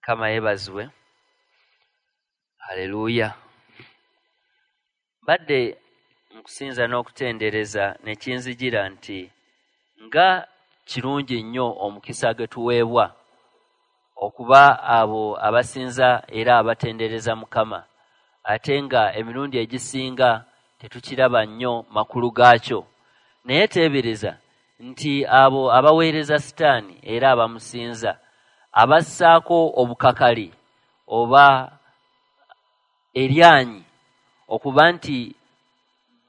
Mukama yeebazibwe. Haleluya. Mbadde nkusinza n'okutendereza ne kinzijira nti nga kirungi nnyo omukisa gwe tuweebwa okuba abo abasinza era abatendereza Mukama, ate nga emirundi egisinga tetukiraba nnyo makulu gaakyo. Naye teebereza nti abo abaweereza Sitaani era abamusinza abassaako obukakali oba eryanyi okuba nti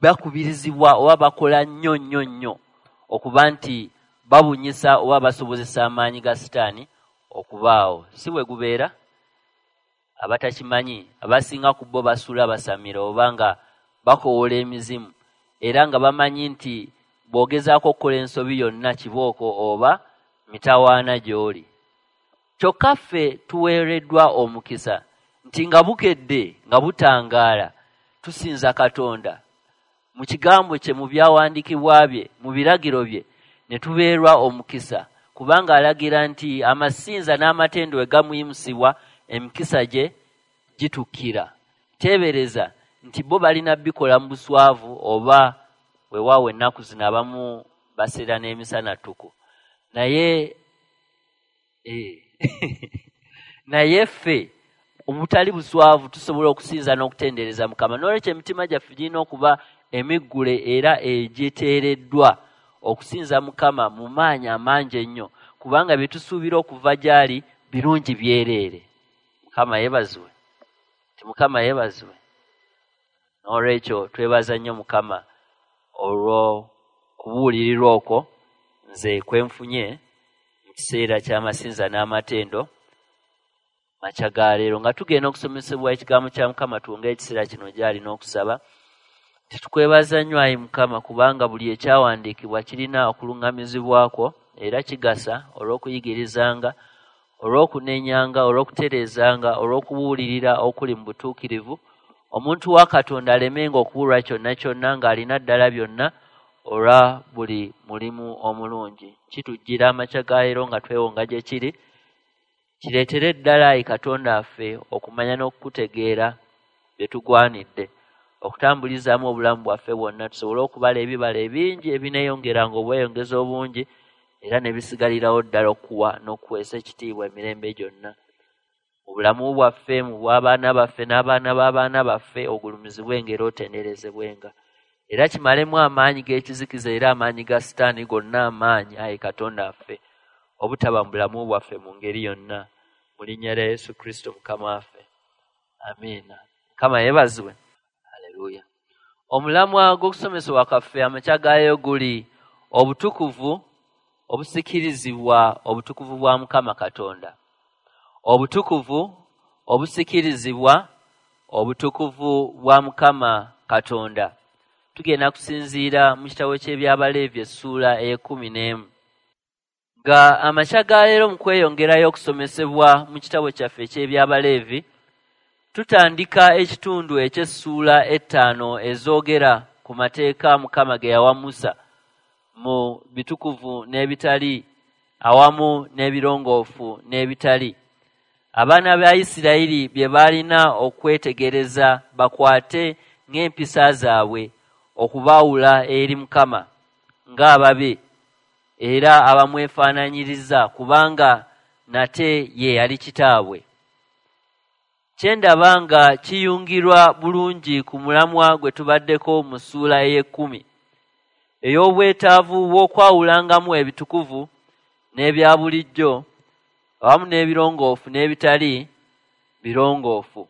bakubirizibwa oba bakola nnyo nnyo nnyo okuba nti babunyisa oba basobozesa amaanyi ga Sitaani okubaawo. Si bwe gubeera? Abatakimanyi abasinga ku bo basula basamira oba nga bakowoola emizimu, era nga bamanyi nti bw'ogezaako okukola ensobi yonna kibooko oba mitawaana gy'oli. Kyokka ffe tuweereddwa omukisa nti nga bukedde nga butangaala tusinza Katonda mu kigambo kye, mu byawandiikibwa bye, mu biragiro bye, ne tubeerwa omukisa, kubanga alagira nti amasinza n'amatendo we gamuyimusibwa emikisa gye gitukkira. Teebereza nti bo balina bikola mu buswavu oba weewaawo ennaku zino abamu baseera n'emisana ttuku, naye naye ffe omutali buswavu tusobola okusinza n'okutendereza Mukama. N'olwekyo emitima gyaffe girina okuba emiggule era egiteereddwa okusinza Mukama mu maanyi amangi ennyo, kubanga bye tusuubira okuva gy'ali birungi byereere. Mukama yeebazibwe. Nti Mukama yeebazibwe. N'olwekyo twebaza nnyo Mukama olw'okubuulirirwa okwo nze kwe nfunye mu kiseera ky'amasinza n'amatendo makya ga leero. Nga tugenda okusomesebwa ekigambo kya Mukama, tuwonge ekiseera kino gy'ali n'okusaba. Titukwebaza nnyo ayi Mukama, kubanga buli ekyawandiikibwa kirina okuluŋŋamizibwa kwo era kigasa olw'okuyigirizanga, olw'okunenyanga, olw'okutereezanga, olw'okubuulirira okuli mu butuukirivu. Omuntu wa Katonda alemenga okubulwa kyonna kyonna ng'alina ddala byonna olwa buli mulimu omulungi. Kitujjira amakya ga leero nga twewonga gye kiri, kireetere ddala ayi Katonda waffe okumanya n'okukutegeera bye tugwanidde okutambulizaamu obulamu bwaffe bwonna, tusobole okubala ebibala ebingi ebineeyongeranga obweyongeza obungi era ne bisigalirawo ddala okuwa n'okuweesa ekitiibwa emirembe gyonna. Mu bulamu bwaffe, mu bw'abaana baffe n'abaana b'abaana baffe, ogulumizibwenga era otenderezebwenga. Era kimalemu amaanyi g'ekizikiza era amaanyi ga Sitaani gonna amaanyi, ayi Katonda waffe, obutaba mu bulamu bwaffe mu ngeri yonna. Mu linnya lya Yesu Kristo Mukama waffe. Amiina. Mukama yeebazibwe. Haleluya. Omulamwa gw'okusomesebwa kwaffe amakya gaayo guli obutukuvu obusikirizibwa obutukuvu bwa Mukama Katonda. Obutukuvu obusikirizibwa obutukuvu bwa Mukama Katonda. Tugenda kusinziira mu kitabo ky'Ebyabaleevi essuula ey'ekkumi n'emu. Nga amakya ga leero mu kweyongerayo okusomesebwa mu kitabo kyaffe eky'Ebyabaleevi, tutandika ekitundu eky'essuula ettaano ezoogera ku mateeka Mukama ge yawa Musa mu bitukuvu n'ebitali awamu n'ebirongoofu n'ebitali. Abaana ba Isirayiri bye baalina okwetegereza bakwate ng'empisa zaabwe okubaawula eri Mukama ng'ababe era abamwefaananyiriza, kubanga nate ye yali kitaabwe. Kye ndaba nga kiyungirwa bulungi ku mulamwa gwe tubaddeko mu ssuula ey'ekkumi, ey'obwetaavu bw'okwawulangamu ebitukuvu n'ebya bulijjo awamu n'ebirongoofu n'ebitali birongoofu.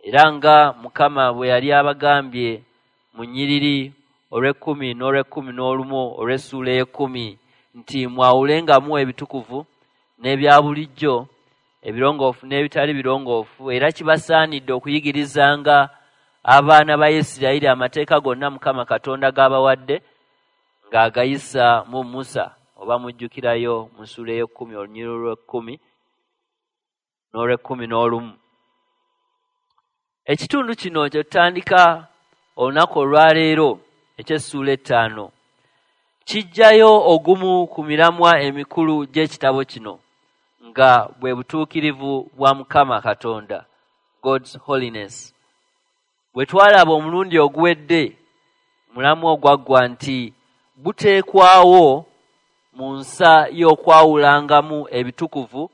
Era nga Mukama bwe yali abagambye mu nnyiriri olw'ekkumi n'olw'ekkumi n'olumu olw'essuula ey'ekkumi nti mwawulengamu ebitukuvu n'ebya bulijjo, ebirongoofu n'ebitali birongoofu, era kibasaanidde okuyigirizanga abaana ba Isirayiri amateeka gonna Mukama Katonda g'abawadde ng'agayisa mu Musa, oba mujjukirayo mu ssuula ey'ekkumi olunyiriri olw'ekkumi n'olw'ekkumi n'olumu. Ekitundu kino kye tutandika olunaku olwaleero eky'essuula ettaano kijjayo ogumu ku miramwa emikulu gy'ekitabo kino, nga bwe butuukirivu bwa Mukama Katonda, God's holiness. Bwe twalaba omulundi oguwedde mulamu ogwaggwa nti buteekwawo mu nsa y'okwawulangamu ebitukuvu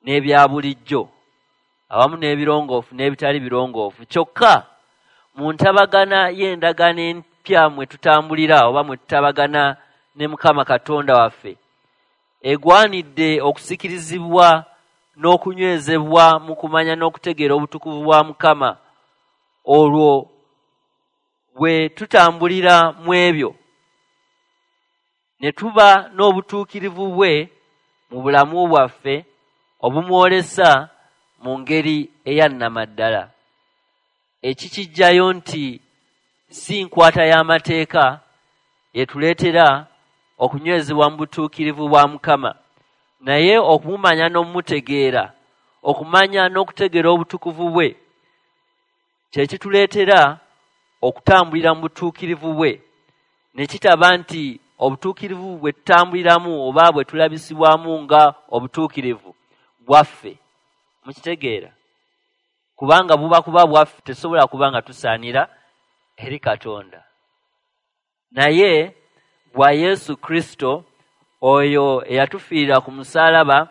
n'ebya bulijjo awamu n'ebirongoofu n'ebitali birongoofu. Kyokka mu ntabagana y'endagaano empya mwe tutambulira oba mwe tutabagana ne Mukama Katonda waffe, egwanidde okusikirizibwa n'okunywezebwa mu kumanya n'okutegeera obutukuvu bwa Mukama. Olwo bwe tutambulira mu ebyo ne tuba n'obutuukirivu bwe mu bulamu bwaffe obumwolesa mu ngeri eyannamaddala. Ekikijjayo nti si nkwata y'amateeka etuleetera okunywezebwa mu butuukirivu bwa Mukama, naye okumumanya n'okumutegeera, okumanya n'okutegeera obutukuvu bwe kye kituleetera okutambulira mu butuukirivu bwe, ne kitaba nti obutuukirivu bwe tutambuliramu oba bwe tulabisibwamu nga obutuukirivu bwaffe. Mukitegeera? Kubanga buba kuba bwaffe, tesobola kuba nga tusaanira eri Katonda, naye bwa Yesu Kristo oyo eyatufiirira ku musaalaba,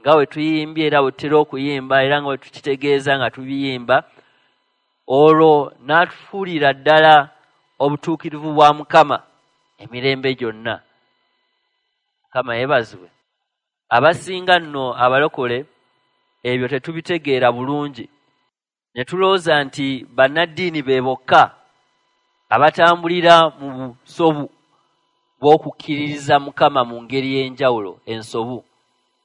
nga bwe tuyimbye era bwe tutera okuyimba era nga bwe tukitegeeza nga tubiyimba, olwo n'atufuulira ddala obutuukirivu bwa Mukama emirembe gyonna. Mukama yeebazibwe. Abasinga nno abalokole ebyo tetubitegeera bulungi, ne tulowooza nti bannaddiini be bokka abatambulira mu busobu bw'okukkiririza Mukama mu ngeri y'enjawulo ensobu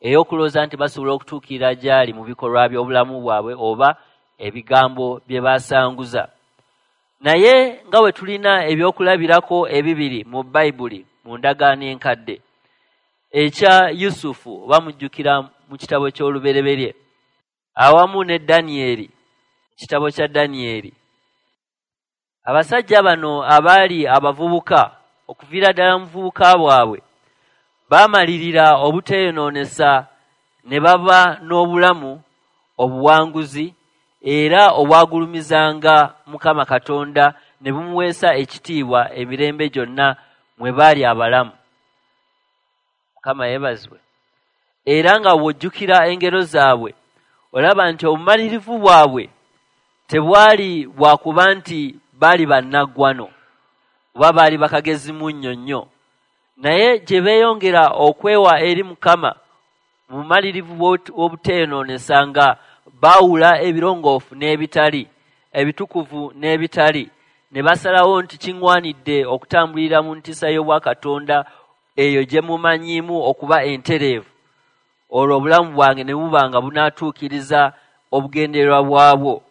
ey'okulowooza nti basobola okutuukirira gy'ali mu bikolwa by'obulamu bwabwe oba ebigambo bye basanguza. Naye nga bwe tulina ebyokulabirako ebibiri mu Bayibuli mu ndagaano enkadde, ekya Yusufu oba mujjukira mu kitabo ky'Olubereberye, awamu ne Danyeri mu kitabo kya Danyeri. Abasajja bano abaali abavubuka okuviira ddala mu buvubuka bwabwe baamalirira obuteeyonoonesa ne baba n'obulamu obuwanguzi era obwagulumizanga Mukama Katonda ne bumuweesa ekitiibwa emirembe gyonna mwe baali abalamu. Mukama yeebazibwe. Era nga bw'ojjukira engero zaabwe olaba nti obumalirivu bwabwe tebwali bwa kuba nti baali bannaggwano oba baali bakagezi munnyo nnyo, naye gye beeyongera okwewa eri Mukama mu bumalirivu bw'obuteeyonoonesa nga baawula ebirongoofu n'ebitali, ebitukuvu n'ebitali, ne basalawo nti kiŋŋwanidde okutambulira mu ntiisa y'obwakatonda eyo gye mumanyiimu okuba entereevu, olwo obulamu bwange ne buba nga bunaatuukiriza obugendererwa bwabwo.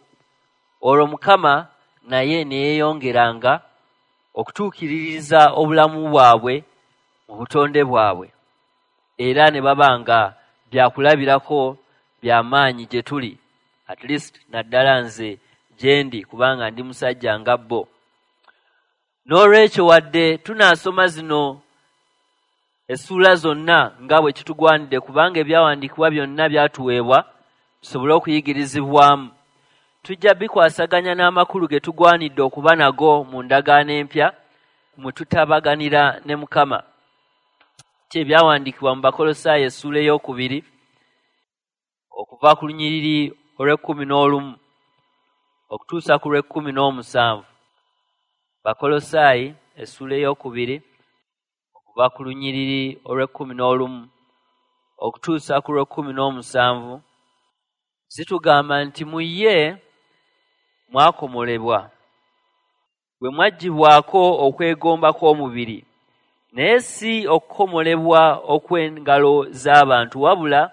Olwo Mukama naye ne yeeyongeranga okutuukiririza obulamu bwabwe mu butonde bwabwe, era ne baba nga byakulabirako bya maanyi gye tuli, at least naddala nze gye ndi, kubanga ndi musajja nga bo. N'olwekyo wadde tunaasoma zino essuula zonna nga bwe kitugwanidde, kubanga ebyawandiikibwa byonna byatuweebwa tusobole okuyigirizibwamu, tujja bikwasaganya n'amakulu ge tugwanidde okuba nago mu ndagaano empya mwe tutabaganira ne Mukama. Ki ebyawandiikibwa mu Bakolosaayi essuula 2 okuva ku lunyiriri olw'11 okutuusa ku lw'17. Bakolosaayi essuula 2 okuva ku lunyiriri olw'11 okutuusa ku lw'17 zitugamba nti mu ye mwakomolebwa, bwe mwaggyibwako okwegomba kw'omubiri, naye si okukomolebwa okw'engalo z'abantu, wabula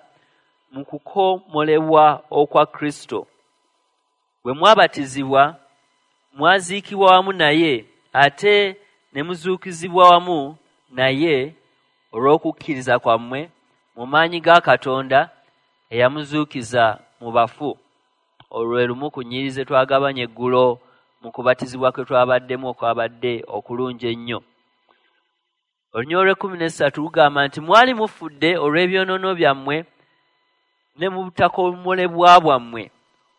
mu kukomolebwa okwa Kristo. Bwe mwabatizibwa mwaziikibwa wamu naye, ate ne muzuukizibwa wamu naye olw'okukkiriza kwammwe mu maanyi ga Katonda eyamuzuukiza mu bafu. Olwo lumu ku nnyiriri ze twagabanya eggulo mu kubatizibwa kwe twabaddemu okwabadde okulungi ennyo. Olunyiriri olw'ekkumi n'essatu lugamba nti mwali mufudde olw'ebyonoono byammwe ne mu butakomolebwa bwammwe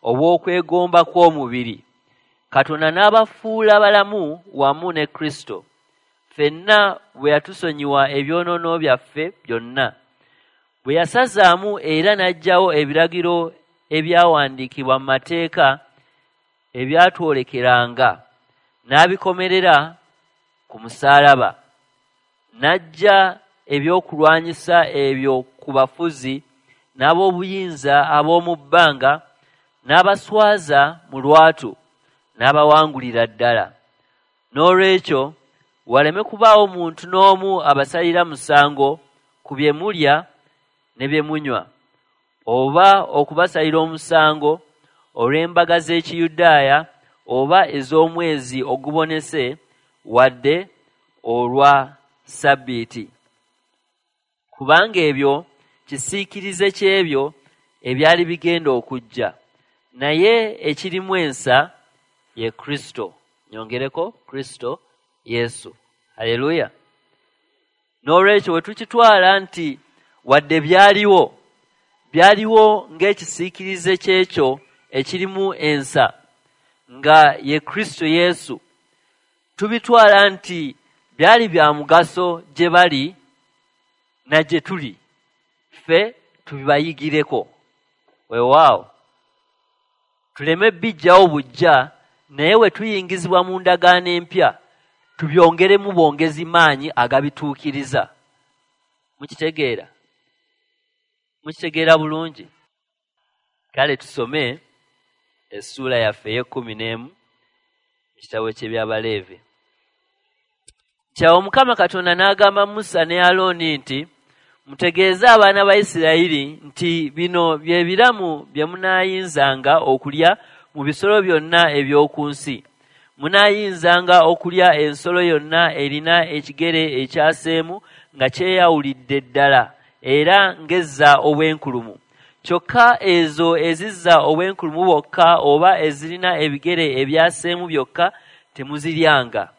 obw'okwegomba kw'omubiri, Katonda n'abafuula balamu wamu ne Kristo, ffenna bwe yatusonyiwa ebyonoono byaffe byonna, bwe yasazaamu era n'aggyawo ebiragiro ebyawandiikibwa mu mateeka ebyatwolekeranga, n'abikomerera ku musaalaba. N'aggya ebyokulwanyisa ebyo ku bafuzi n'ab'obuyinza ab'omu bbanga, n'abaswaza mu lwatu, n'abawangulira ddala. Noolwekyo waleme kubaawo muntu n'omu abasalira musango ku bye mulya ne bye munywa, oba okubasalira omusango olw'embaga z'Ekiyudaaya oba ez'omwezi ogubonese, wadde olwa Ssabbiiti. Kubanga ebyo kisiikirize ky'ebyo ebyali bigenda okujja, naye ekirimu ensa ye Kristo. Nyongereko Kristo Yesu. Haleluya! N'olwekyo bwe tukitwala nti wadde byaliwo, byaliwo ng'ekisiikirize ky'ekyo ekirimu ensa, nga ye Kristo Yesu, tubitwala nti byali bya mugaso gye bali na gye tuli, ffe tubibayigireko. Weewaawo, tuleme bijjawo buggya, naye we tuyingizibwa mu ndagaano empya, tubyongeremu bwongezi maanyi agabituukiriza. Mukitegeera? Mukitegeera bulungi? Kale tusome essuula yaffe ey'ekkumi n'emu mu kitabo ky'Ebyabaleevi. Kyawo Mukama Katonda n'agamba Musa ne Alooni nti, "Mutegeeze abaana ba Isirayiri nti bino bye biramu bye munaayinzanga okulya mu bisolo byonna eby'oku nsi. Munaayinzanga okulya ensolo yonna erina ekigere ekyaseemu nga kyeyawulidde ddala era ng'ezza obwenkulumu. Kyokka ezo ezizza obwenkulumu bwokka oba ezirina ebigere ebyaseemu byokka temuziryanga.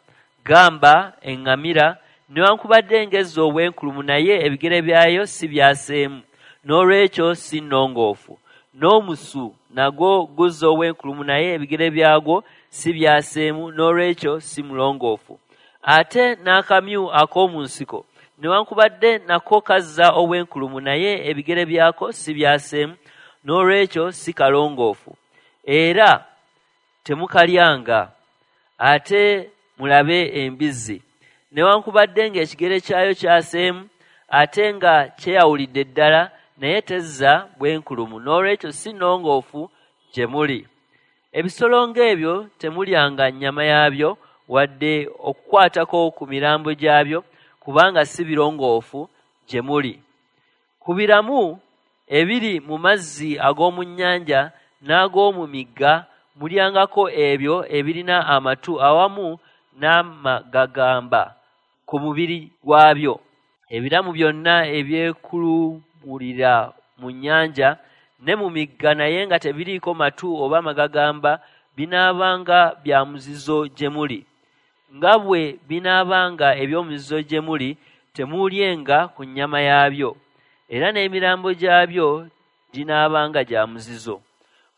Gamba eŋŋamira, newankubadde ng'ezza obwenkulumu naye ebigere byayo si byaseemu, noolwekyo si nnongoofu. N'omusu nagwo guzza obwenkulumu naye ebigere byagwo si byaseemu, noolwekyo si mulongoofu. Ate n'akamyu ak'omu nsiko, newankubadde nako kazza obwenkulumu naye ebigere byako si byaseemu, noolwekyo si kalongoofu, era temukalyanga. Ate mulabe embizzi, newankubadde ng'ekigere kyayo kyaseemu ate nga kyeyawulidde ddala, naye tezza bwenkulumu, noolwekyo si nnongoofu gye muli. Ebisolo ng'ebyo temulyanga nnyama yaabyo wadde okukwatako ku mirambo gyabyo, kubanga si birongoofu gye muli. Ku biramu ebiri mu mazzi ag'omu nnyanja n'ag'omu migga mulyangako ebyo ebirina amatu awamu n'amagagamba ku mubiri gwabyo. Ebiramu byonna ebyekulungulira mu nnyanja ne mu migga naye nga tebiriiko matu oba magagamba binaabanga bya muzizo gye muli. Nga bwe binaabanga eby'omuzizo gye muli, temuulyenga ku nnyama yaabyo, era n'emirambo gyabyo ginaabanga gya muzizo.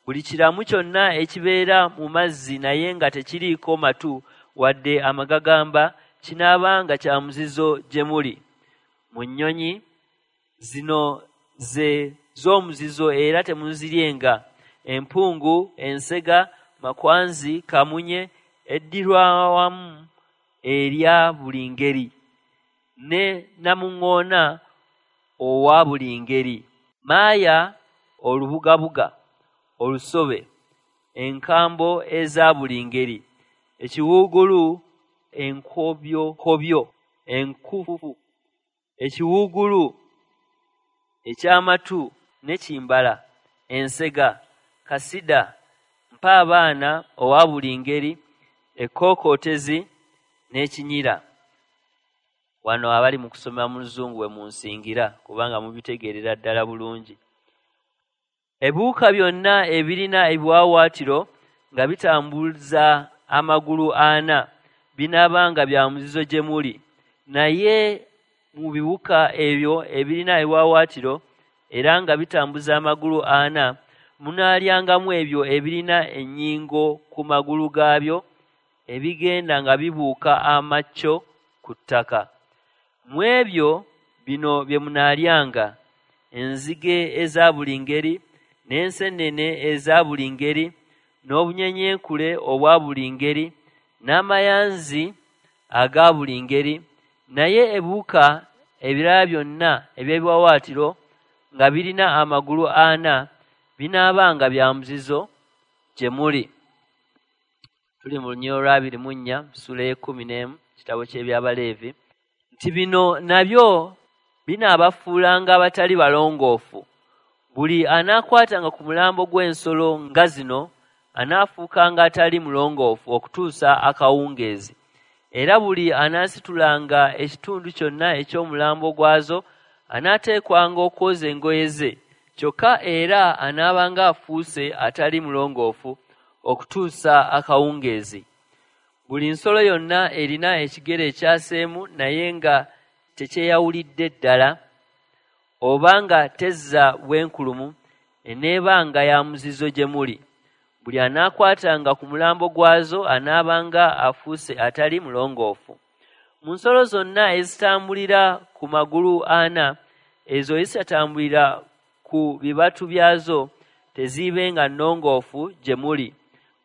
Buli kiramu kyonna ekibeera mu mazzi naye nga tekiriiko matu wadde amagagamba kinaabanga kya muzizo gye muli. Mu nnyonyi, zino ze z'omuzizo era temuziryenga: empungu, ensega, makwanzi, kamunye, eddirwawamu erya buli ngeri, ne namuŋŋoona owa buli ngeri, maaya olubugabuga olusobe, enkambo eza buli ngeri, ekiwuugulu enkobyokobyo enkufu, ekiwuugulu eky'amatu ne kimbala, ensega, kasida, mpaabaana owa buli ngeri, ekkookootezi n'ekinyira." Wano abali mu kusoma mu Luzungu we munsingira, kubanga mubitegeerera ddala bulungi. Ebiwuka byonna ebirina ebiwaawaatiro nga bitambuza amagulu ana binaabanga bya muzizo gye muli. Naye mu biwuka ebyo ebirina ebiwaawaatiro era nga bitambuza amagulu ana, munaalyangamu ebyo ebirina ennyingo ku magulu gaabyo ebigenda nga bibuuka amakyo ku ttaka. Mu ebyo bino bye munaalyanga: enzige eza buli ngeri, n'enseenene eza buli ngeri, n'obunyenyenkule obwa buli ngeri, n'amayanzi aga buli ngeri. Naye ebiwuka ebirala byonna eby'ebiwaawaatiro nga birina amagulu ana binaabanga bya muzizo gye muli. Tuli mu lunyiriri olwa 24, ssuula ey'e-11, kitabo ky'Ebyabaleevi, nti bino nabyo binaabafuulanga abatali balongoofu. Buli anaakwatanga ku mulambo gw'ensolo nga zino anaafuukanga atali mulongoofu okutuusa akawungeezi. Era buli anaasitulanga ekitundu kyonna eky'omulambo gwazo anaateekwanga okwoza engoye ze, kyokka era anaabanga afuuse atali mulongoofu okutuusa akawungeezi. Buli nsolo yonna erina ekigere ekyaseemu naye nga tekyeyawulidde ddala, oba nga tezza bwenkulumu, eneebanga ya muzizo gye muli. Buli anaakwatanga ku mulambo gwazo anaabanga afuuse atali mulongoofu. Mu nsolo zonna ezitambulira ku magulu ana, ezo ezitatambulira ku bibatu byazo teziibenga nnongoofu gye muli.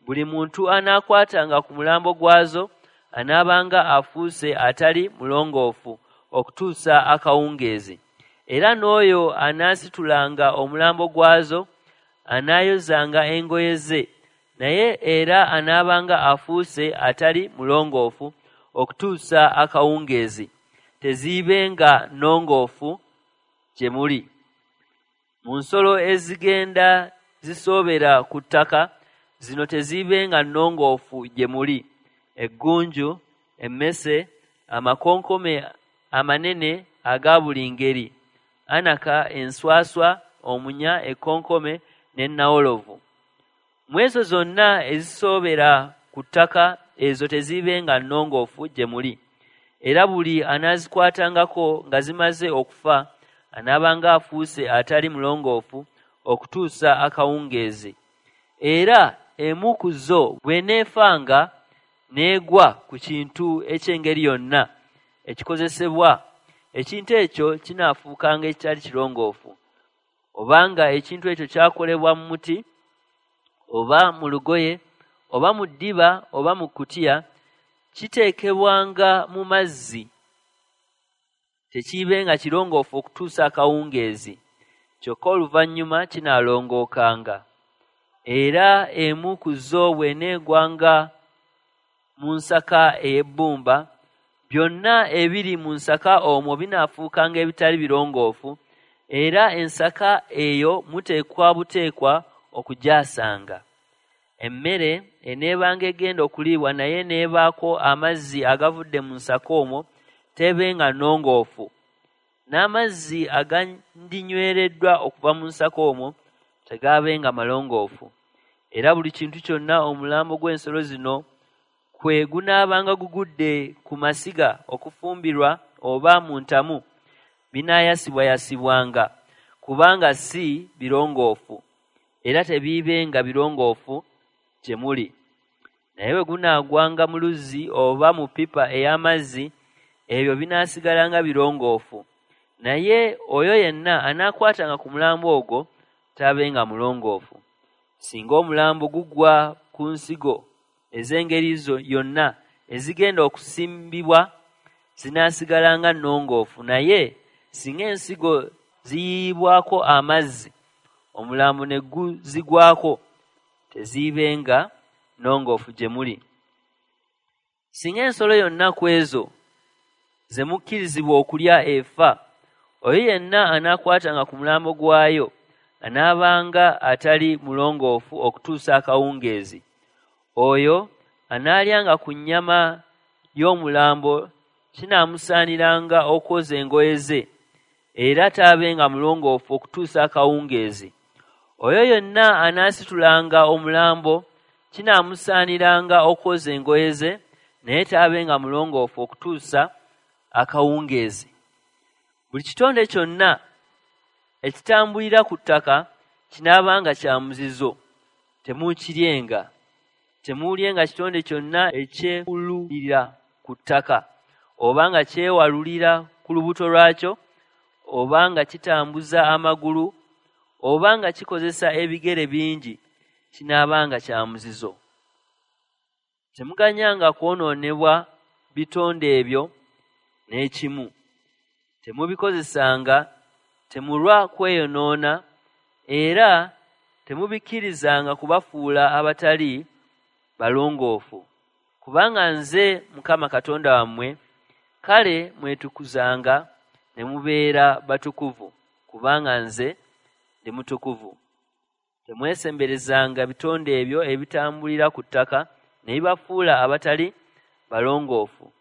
Buli muntu anaakwatanga ku mulambo gwazo anaabanga afuuse atali mulongoofu okutuusa akawungeezi. Era n'oyo anaasitulanga omulambo gwazo anaayozanga engoye ze, naye era anaabanga afuuse atali mulongoofu okutuusa akawungeezi. Teziibenga nnongoofu gye muli. Mu nsolo ezigenda zisoobera ku ttaka, zino teziibenga nnongoofu gye muli: eggunju, emmese, amakonkome amanene aga buli ngeri, anaka, enswaswa, omunya, ekkonkome n'ennawolovu. Mu ezo zonna ezisoobera ku ttaka, ezo teziibenga nnongoofu gye muli. Era buli anaazikwatangako nga zimaze okufa anaabanga afuuse atali mulongoofu okutuusa akawungeezi. Era emu ku zo bw'eneefanga n'egwa ku kintu eky'engeri yonna ekikozesebwa, ekintu ekyo kinaafuukanga ekitali kirongoofu. Obanga ekintu ekyo kyakolebwa mu muti, oba mu lugoye, oba mu ddiba, oba mu kkutiya, kiteekebwanga mu mazzi, tekiibenga kirongoofu okutuusa akawungeezi, kyokka oluvannyuma kinaalongookanga. Era emu ku zo bw'eneegwanga mu nsaka ey'ebbumba, byonna ebiri mu nsaka omwo binaafuukanga ebitali birongoofu, era ensaka eyo muteekwa buteekwa okugyasanga. Emmere eneebanga egenda okuliibwa naye n'ebaako amazzi agavudde mu nsaka omwo teebenga nnongoofu. N'amazzi agandinywereddwa okuva mu nsaka omwo tegaabenga malongoofu. Era buli kintu kyonna omulambo gw'ensolo zino kwe gunaabanga gugudde ku masiga okufumbirwa oba mu ntamu, binaayasibwayasibwanga, kubanga si birongoofu, era tebiibenga birongoofu gye muli. Naye bwe gunaagwanga mu luzzi oba mu ppipa ey'amazzi, ebyo binaasigalanga birongoofu. Naye oyo yenna anaakwatanga ku mulambo ogwo taabenga mulongoofu. Singa omulambo gugwa ku nsigo ez'engeri yonna ezigenda okusimbibwa, zinaasigalanga nnongoofu. Naye singa ensigo ziyiibwako amazzi, omulambo ne guzigwako, teziibenga nnongoofu gye muli. Singa ensolo yonna ku ezo ze mukkirizibwa okulya efa, oyo yenna anaakwatanga ku mulambo gwayo anaabanga atali mulongoofu okutuusa akawungeezi. Oyo anaalyanga ku nnyama y'omulambo kinaamusaaniranga okwoza engoye ze, era taabenga mulongoofu okutuusa akawungeezi. Oyo yenna anaasitulanga omulambo kinaamusaaniranga okwoza engoye ze, naye taabenga mulongoofu okutuusa akawungeezi. Buli kitonde kyonna ekitambulira ku ttaka kinaabanga kya muzizo, temuukiryenga. Temuulyenga kitonde kyonna ekyekululira ku ttaka, oba nga kyewalulira ku lubuto lwakyo, oba nga kitambuza amagulu, oba nga kikozesa ebigere bingi, kinaabanga kya muzizo. Temuganyanga kwonoonebwa bitonde ebyo n'ekimu. Temubikozesanga, temulwa kweyonoona, era temubikkirizanga kubafuula abatali balongoofu. Kubanga nze Mukama Katonda wammwe, kale mwetukuzanga ne mubeera batukuvu, kubanga nze ndi mutukuvu. Temwesemberezanga bitonde ebyo ebitambulira ku ttaka ne bibafuula abatali balongoofu.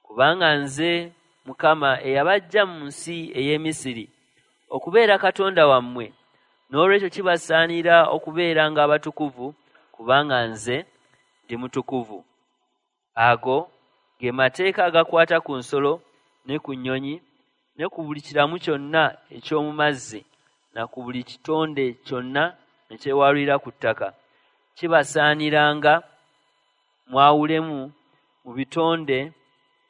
Kubanga nze Mukama eyabaggya mu nsi ey'e Misiri okubeera Katonda wammwe, n'olwekyo kibasaanira okubeeranga abatukuvu, kubanga nze ndi mutukuvu. Ago ge mateeka agakwata ku nsolo ne ku nnyonyi ne ku buli kiramu kyonna eky'omu mazzi na ku buli kitonde kyonna ekyewalulira ku ttaka. Kibasaaniranga mwawulemu mu bitonde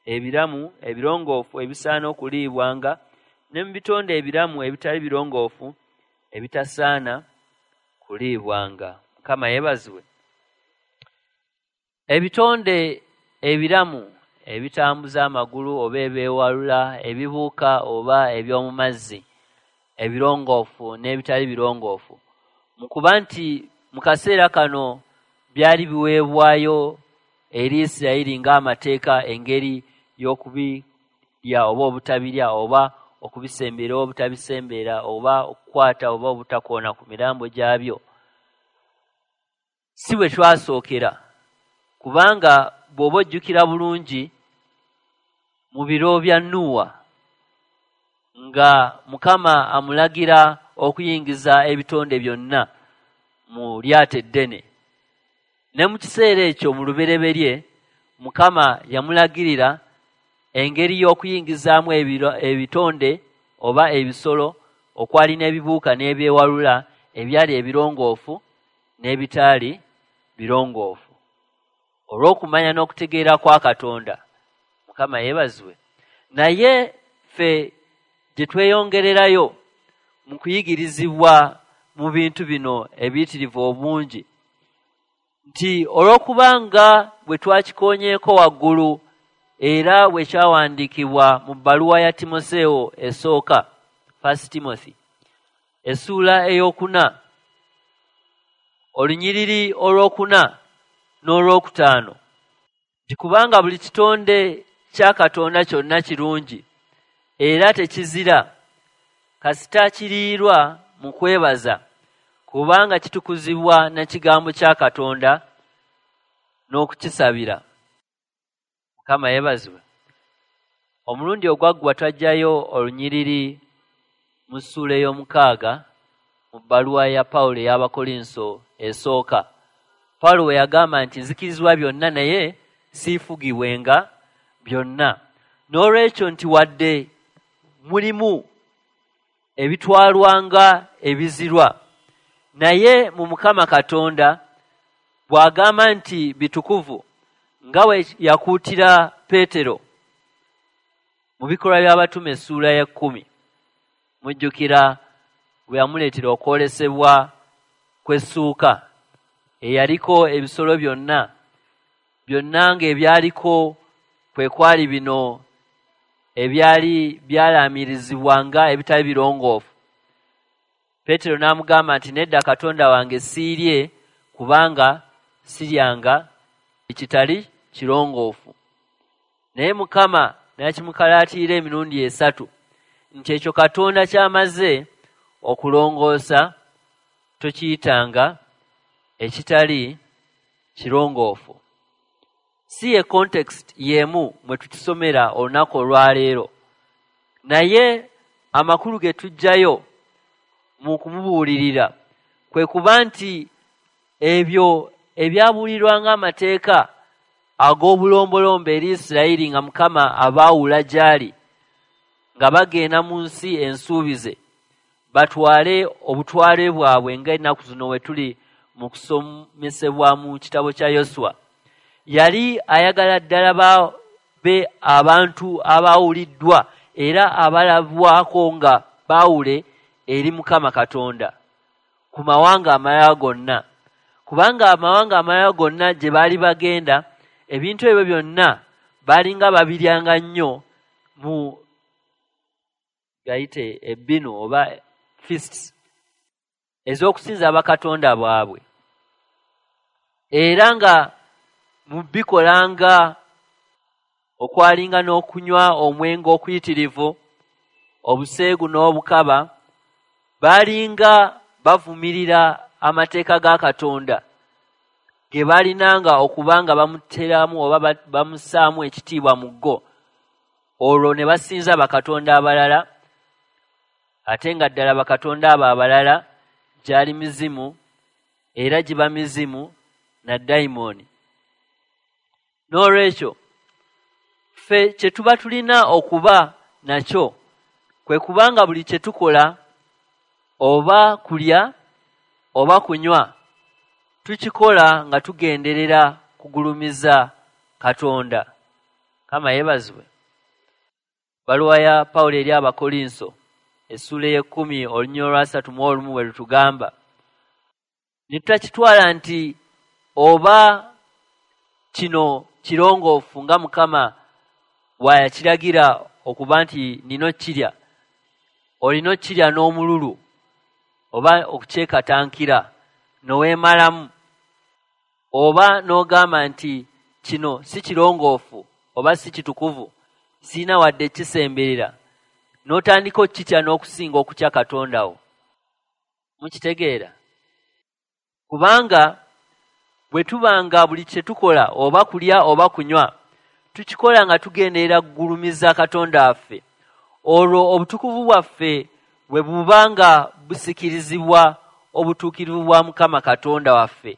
ebiramu ebirongoofu ebisaana okuliibwanga, ne mu bitonde ebiramu ebitali birongoofu ebitasaana kuliibwanga. Mukama yeebazibwe. Ebitonde ebiramu ebitambuza amagulu oba ebyewalula, ebibuuka oba eby'omu mazzi, ebirongoofu n'ebitali birongoofu, mu kuba nti mu kaseera kano byali biweebwayo eri Isirayiri ng'amateeka, engeri y'okubirya oba obutabirya, oba okubisembera oba obutabisembera, oba okukwata oba obutakoona ku mirambo gyabyo, si bwe twasookera. Kubanga bw'oba ojjukira bulungi mu biro bya Nuuwa, nga Mukama amulagira okuyingiza ebitonde byonna mu lyato eddene, ne mu kiseera ekyo mu lubereberye Mukama yamulagirira engeri y'okuyingizaamu ebitonde oba ebisolo okwali n'ebibuuka n'ebyewalula ebyali ebirongoofu n'ebitaali birongoofu, olw'okumanya n'okutegeera kwa Katonda. Mukama yeebazibwe. Naye ffe gye tweyongererayo mu kuyigirizibwa mu bintu bino ebiyitirivu obungi, nti olw'okubanga bwe twakikoonyeeko waggulu era bwe kyawandiikibwa mu bbaluwa ya Timoseewo esooka, First Timothy, essuula 4, olunyiriri 4 n'5, nti kubanga buli kitonde kya Katonda kyonna kirungi era tekizira, kasita kiriirwa mu kwebaza, kubanga kitukuzibwa na kigambo kya Katonda n'okukisabira. Mukama yeebazibwe. Omulundi ogwaggwa twajjayo olunyiriri mu ssuula 6 mu bbaluwa ya Pawulo ey'Abakolinso esooka. Pawulo we yagamba nti nzikirizibwa byonna naye siifugibwenga byonna. N'olwekyo nti wadde mulimu ebitwalwanga ebizirwa, naye mu Mukama Katonda bw'agamba nti bitukuvu, nga bwe yakuutira Peetero mu bikolwa by'abatume essuula 10, mujjukira bwe yamuleetera okwolesebwa kw'essuuka eyaliko ebisolo byonna byonna ng'ebyaliko kwe kwali bino ebyali byalaamirizibwa nga ebitali birongoofu. Peetero n'amugamba nti nedda, Katonda wange, siirye, kubanga siryanga ekitali kirongoofu. Naye Mukama n'akimukalaatira emirundi 3 nti ekyo Katonda ky'amaze okulongoosa tokiyitanga ekitali kirongoofu. Si ye context y'emu mwe tukisomera olunaku olwaleero, naye amakulu ge tuggyayo mu kumubuulirira kwe kuba nti ebyo ebyabuulirwa ng'amateeka ag'obulombolombo eri Isirayiri nga Mukama abaawula gy'ali nga bagenda mu nsi ensuubize, batwale obutwale bwabwe ng'ennaku zino we tuli mu kusomesebwa mu kitabo kya Yoswa. Yali ayagala ddala babe abantu abaawuliddwa era abalabwako nga baawule eri Mukama Katonda ku mawanga amalala gonna, kubanga amawanga amalala gonna gye baali bagenda ebintu ebyo byonna baalinga babiryanga nnyo mu gayite ebbinu oba feasts ez'okusinza bakatonda baabwe, era nga mu bikolanga okwalinga n'okunywa omwenge okuyitirivu, obuseegu n'obukaba, baalinga bavumirira amateeka ga Katonda ge baalinanga okuba nga bamuteramu oba bamussaamu ekitiibwa mu go, olwo ne basinza bakatonda abalala, ate nga ddala bakatonda abo abalala gyali mizimu era giba mizimu na dayimooni. N'olwekyo ffe kye tuba tulina okuba nakyo kwe kubanga buli kye tukola oba kulya oba kunywa tukikola nga tugenderera kugulumiza Katonda. Kama yeebazibwe. Baluwa ya Pawulo eri Abakolinso essuula ey'ekkumi olunyiriri olwa 31 bwe lutugamba ne tutakitwala nti oba kino kirongoofu nga Mukama bw'ayakiragira okuba nti nina okkirya, olina okkirya n'omululu oba okukyekatankira n'oweemalamu, oba n'ogamba nti kino si kirongoofu oba si kitukuvu, sirina wadde kisemberera, n'otandika okkitya n'okusinga okutya Katonda wo. Mukitegeera? Kubanga bwe tubanga buli kye tukola oba kulya oba kunywa tukikola nga tugenderera kugulumiza Katonda waffe, olwo obutukuvu bwaffe bwe buba nga busikirizibwa obutuukirivu bwa Mukama Katonda waffe,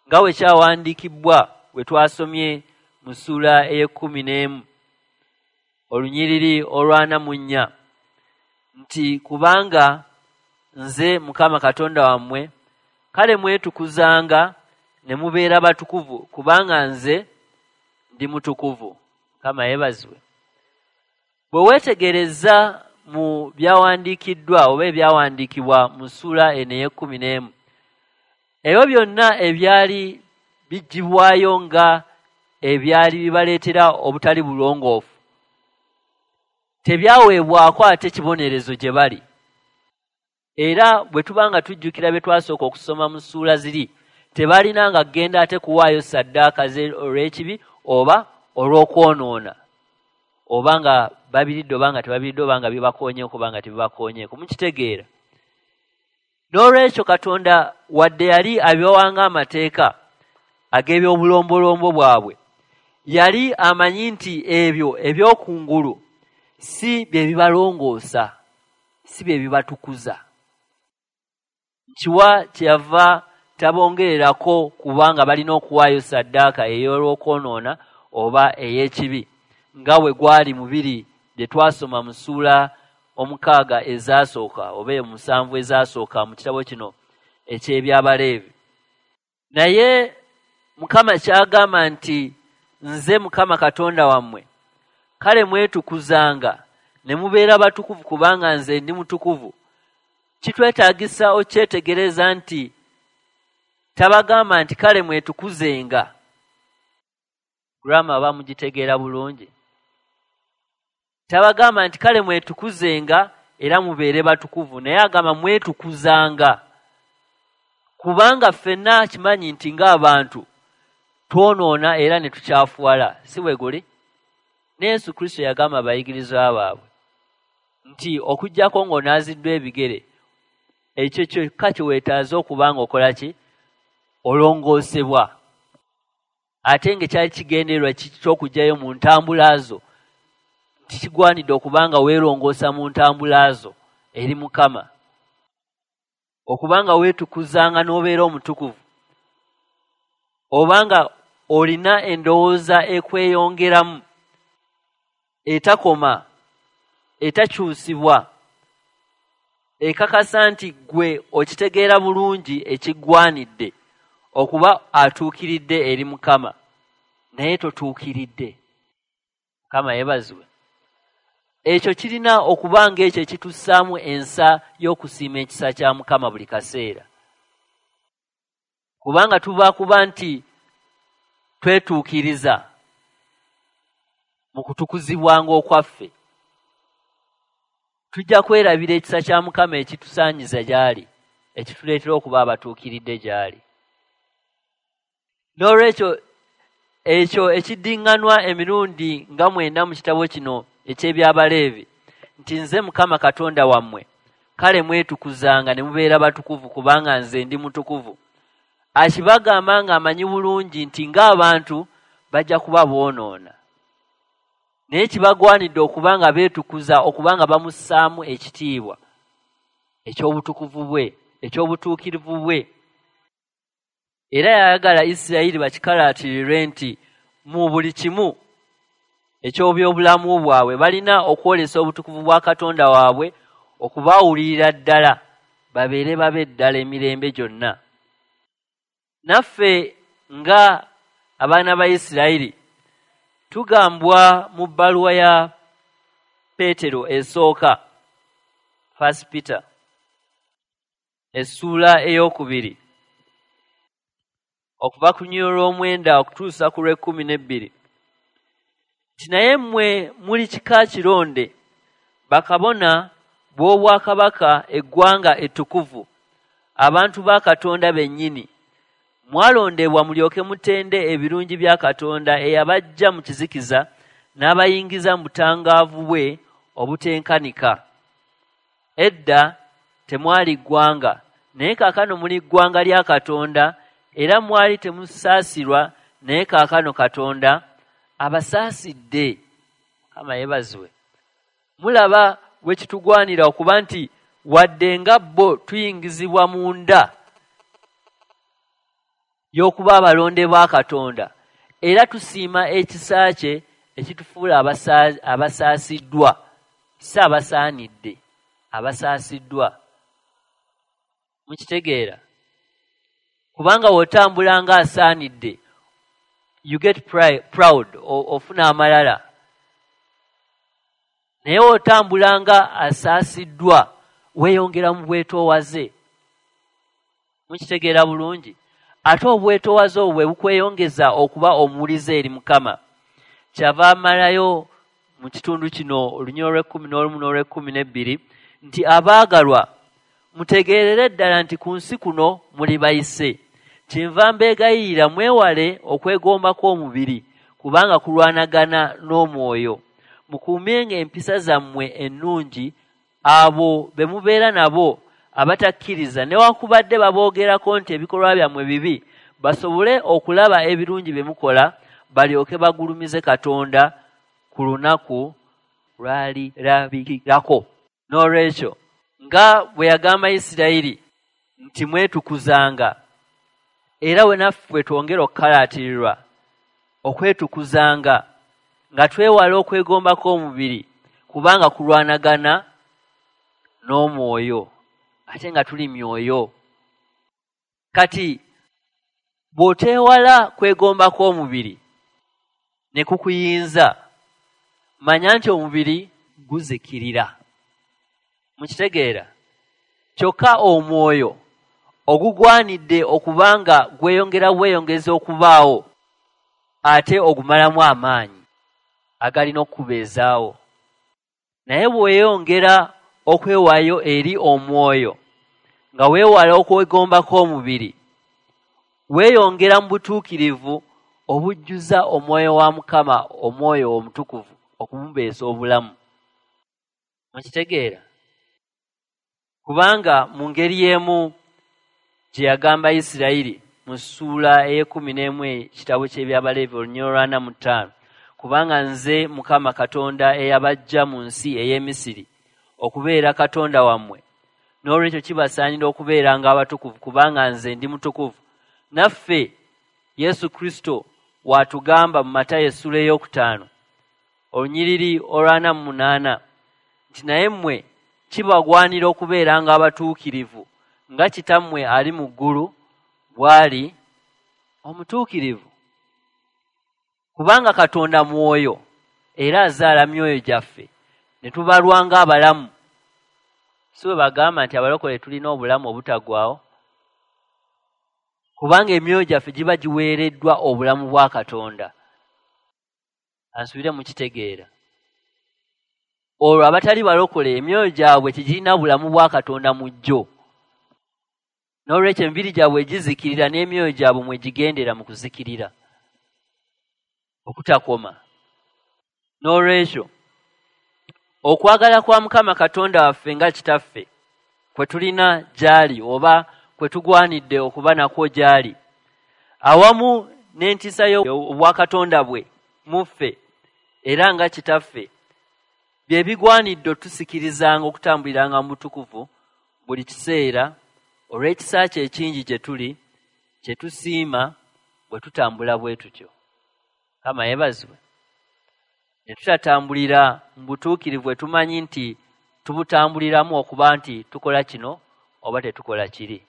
nga bwe kyawandiikibwa bwe twasomye mu ssuula ey'ekkumi n'emu olunyiriri olwa 44 nti kubanga nze Mukama Katonda wammwe, kale mwetukuzanga ne mubeera batukuvu, kubanga nze ndi mutukuvu. Mukama yeebazibwe. Bwe weetegereza mu byawandiikiddwa oba ebyawandiikibwa mu ssuula eno ey'ekkumi n'emu, ebyo byonna ebyali biggyibwayo nga ebyali bibaleetera obutali bulongoofu tebyaweebwako ate kibonerezo gye bali. Era bwe tuba nga tujjukira bye twasooka okusoma mu ssuula ziri, tebalinanga kugenda ate kuwaayo ssaddaaka olw'ekibi oba olw'okwonoona, oba nga babiridde oba nga tebabiridde, oba nga bibakoonyeeko oba nga tebibakoonyeeko. Mukitegeera? N'olwekyo Katonda wadde yali abibawanga amateeka ag'ebyobulombolombo bwabwe, yali amanyi nti ebyo eby'okungulu si bye bibalongoosa, si bye bibatukuza. Nkiwa kyeyava tabongererako kubanga balina okuwaayo ssaddaaka ey'olwokwonoona oba ey'ekibi nga bwe gwali mubiri bye twasoma mu ssuula 6 ezasooka oba 7 ezasooka mu kitabo kino eky'Ebyabaleevi. Naye Mukama kyagamba nti nze Mukama Katonda wammwe, kale mwetukuzanga ne mubeera batukuvu kubanga nze ndi mutukuvu. Kitwetaagisa okyetegereza nti tabagamba nti kale mwetukuzenga. Grammar bamugitegeera bulungi. Tabagamba nti kale mwetukuzenga era mubeere batukuvu, naye agamba mwetukuzanga, kubanga ffenna kimanyi nti ng'abantu twonoona era ne tukyafuwala, si bwe guli? Ne Yesu Kristo yagamba abayigirizwa baabwe nti okuggyako ng'onaaziddwa ebigere, ekyo kyokka kye weetaaze okuba ng'okola ki? Olongoosebwa. Ate ng'ekyali kigendererwa ky'okuggyayo mu ntambula zo, nti kigwanidde okuba nga weerongoosa mu ntambula zo eri Mukama, okuba nga weetukuzanga n'obeera omutukuvu, oba nga olina endowooza ekweyongeramu etakoma, etakyusibwa. Ekakasa nti ggwe okitegeera bulungi ekiggwanidde okuba atuukiridde eri Mukama, naye totuukiridde. Mukama yeebazibwe. Ekyo kirina okuba ng'ekyo ekitussaamu ensa y'okusiima ekisa kya Mukama buli kaseera. Kubanga tuba kuba nti twetuukiriza mu kutukuzibwanga okwaffe, tujja kwerabira ekisa kya Mukama ekitusaanyiza gy'ali, ekituleetera okuba abatuukiridde gy'ali. N'olwekyo ekyo ekiddiŋŋanwa emirundi nga 9 mu kitabo kino eky'Ebyabaleevi nti nze Mukama Katonda wammwe, kale mwetukuzanga ne mubeera batukuvu kubanga nze ndi mutukuvu. Akibagamba ng'amanyi bulungi nti ng'abantu bajja kuba boonoona, naye kibagwanidde okuba nga beetukuza, okuba nga bamussaamu ekitiibwa eky'obutukuvu bwe, eky'obutuukirivu bwe. Era yayagala Isirayiri bakikalaatirirwe nti mu buli kimu eky'obyobulamu bwabwe balina okwolesa obutukuvu bwa Katonda waabwe, okubawulirira ddala, babeere babe ddala emirembe gyonna. Naffe nga abaana ba Isirayiri tugambwa mu bbaluwa ya Peetero esooka, First Peter, essuula 2, okuva ku lunyiriri olw'omwenda okutuusa ku lw'ekkumi n'ebbiri, nti naye mmwe muli kika kironde, bakabona b'obwakabaka, eggwanga ettukuvu, abantu ba Katonda bennyini, mwalondebwa mulyoke mutende ebirungi bya Katonda eyabaggya mu kizikiza n'abayingiza mu butangaavu bwe obutenkanika. Edda temwali ggwanga, naye kaakano muli ggwanga lya Katonda, era mwali temusaasirwa, naye kaakano Katonda abasaasidde. Mukama yeebazibwe. Mulaba bwe kitugwanira okuba nti wadde nga bo tuyingizibwa munda y'okuba abalonde ba Katonda, era tusiima ekisa kye ekitufuula abasaasiddwa, si abasaanidde, abasaasiddwa. Mukitegeera? Kubanga w'otambula ng'asaanidde, you get proud, ofuna amalala. Naye w'otambula nga asaasiddwa, weeyongera mu bwetoowaze. Mukitegeera bulungi? Ate obwetoowaze obwo bwe bukweyongeza okuba omuwulize eri Mukama. Kyava amalayo mu kitundu kino olunyiriri olw'ekkumi n'olumu n'olw'ekkumi n'ebbiri nti abaagalwa mutegeerere ddala nti ku nsi kuno muli bayise. Kyenva mbeegayirira mwewale okwegomba kw'omubiri, kubanga kulwanagana n'omwoyo. Mukuumenga empisa zammwe ennungi abo be mubeera nabo abatakkiriza, newankubadde baboogerako nti ebikolwa byammwe bibi, basobole okulaba ebirungi bye mukola, balyoke bagulumize Katonda ku lunaku lw'alirabikirako. N'olwekyo nga bwe yagamba Isirayiri nti mwetukuzanga, era we naffe twongera okukalaatirirwa okwetukuzanga nga twewala okwegomba kw'omubiri, kubanga kulwanagana n'omwoyo, ate nga tuli myoyo. Kati bw'oteewala kwegomba kw'omubiri ne kukuyinza, manya nti omubiri guzikirira. Mukitegeera? Kyokka omwoyo ogugwanidde okubanga gweyongera bweyongeza okubaawo, ate ogumalamu amaanyi agalina okukubeezaawo. Naye bw'oyongera okwewaayo eri omwoyo nga weewala okwegomba kw'omubiri, weeyongera mu butuukirivu obujjuza omwoyo wa Mukama, omwoyo omutukuvu, okumubeesa obulamu. Mukitegeera? Kubanga mu ngeri y'emu gye yagamba Isirayiri mu ssuula ey'ekkumi n'emu ekitabo ky'Ebyabaleevi olunyiriri olw'ana mu ttaano, kubanga nze Mukama Katonda eyabaggya mu nsi ey'e Misiri okubeera Katonda wammwe, n'olwekyo kibasaanira okubeeranga abatukuvu kubanga nze ndi mutukuvu. Naffe Yesu Kristo w'atugamba mu Matayo essuula 5 olunyiriri olw'ana mu munaana nti naye mmwe kibagwanira okubeeranga abatuukirivu nga Kitammwe ali mu ggulu bw'ali omutuukirivu. Kubanga Katonda mwoyo era azaala myoyo gyaffe ne tubalwa ng'abalamu. Si bwe bagamba nti abalokole tulina obulamu obutaggwaawo? Kubanga emyoyo gyaffe giba giweereddwa obulamu bwa Katonda. Ansubire mukitegeera. Olwo abatali balokole emyoyo gyabwe tegirina bulamu bwa Katonda mu gyo. N'olwekyo emibiri gyabwe gizikirira n'emyoyo gyabwe mwe gigendera mu kuzikirira okutakoma. N'olwekyo okwagala kwa Mukama Katonda waffe nga Kitaffe kwe tulina gy'ali oba kwe tugwanidde okuba nakwo gy'ali, awamu n'entiisa y'obwakatonda bwe mu ffe era nga Kitaffe, bye bigwanidde otusikirizanga okutambuliranga mu butukuvu buli kiseera olw'ekisa kye ekingi gye tuli, kye tusiima bwe tutambula bwe tutyo. Mukama yeebazibwe. Ne tutatambulira mu butuukirivu bwe tumanyi nti tubutambuliramu okuba nti tukola kino oba tetukola kiri,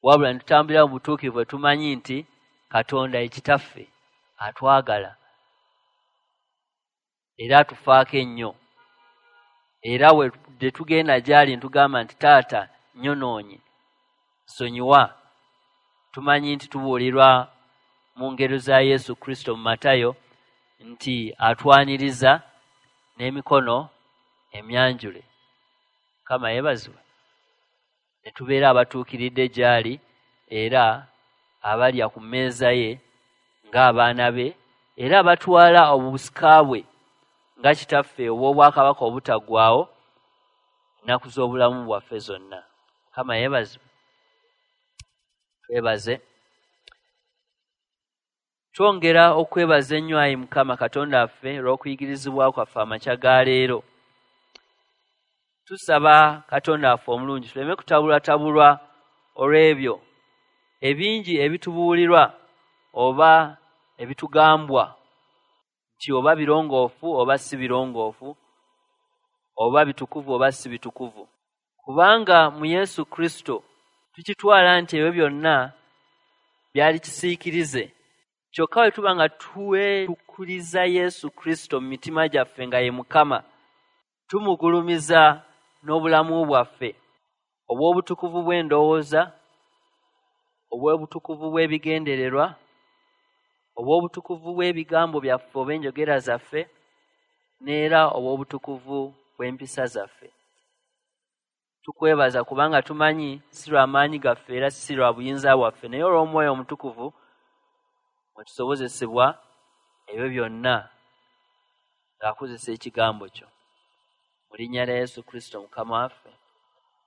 wabula ne tutambulira mu butuukirivu bwe tumanyi nti Katonda ye Kitaffe atwagala era atufaako ennyo, era we tugenda gy'ali ne tugamba nti Taata nnyonoonye, nsonyiwa, tumanyi nti tubuulirwa mu ngero za Yesu Kristo mu Matayo nti atwaniriza n'emikono emyanjule. Mukama yeebazibwe. Ne tubeera abatuukiridde gy'ali era abalya ku mmeeza ye ng'abaana be, era abatwala obusika bwe nga Kitaffe obw'obwakabaka obutaggwaawo ennaku z'obulamu bwaffe zonna. Mukama yeebazibwe. Twebaze. Twongera okwebaza ennyo ayi Mukama Katonda waffe olw'okuyigirizibwa kwaffe amakya ga leero. Tusaba Katonda waffe omulungi tuleme kutabulwatabulwa olw'ebyo ebingi ebitubuulirwa oba ebitugambwa nti oba birongoofu oba si birongoofu, oba bitukuvu oba si bitukuvu. Kubanga mu Yesu Kristo tukitwala nti ebyo byonna byali kisiikirize. Kyokka bwe tuba nga twetukuriza Yesu Kristo mu mitima gyaffe nga ye Mukama, tumugulumiza n'obulamu bwaffe obw'obutukuvu bw'endowooza, obw'obutukuvu bw'ebigendererwa, obw'obutukuvu bw'ebigambo byaffe oba enjogera zaffe, n'era obw'obutukuvu bw'empisa zaffe. Tukwebaza kubanga tumanyi si lwa maanyi gaffe era si lwa buyinza bwaffe, naye olw'Omwoyo Omutukuvu mwe tusobozesebwa ebyo byonna ng'akozesa ekigambo kyo. Mu linnya lya Yesu Kristo Mukama waffe.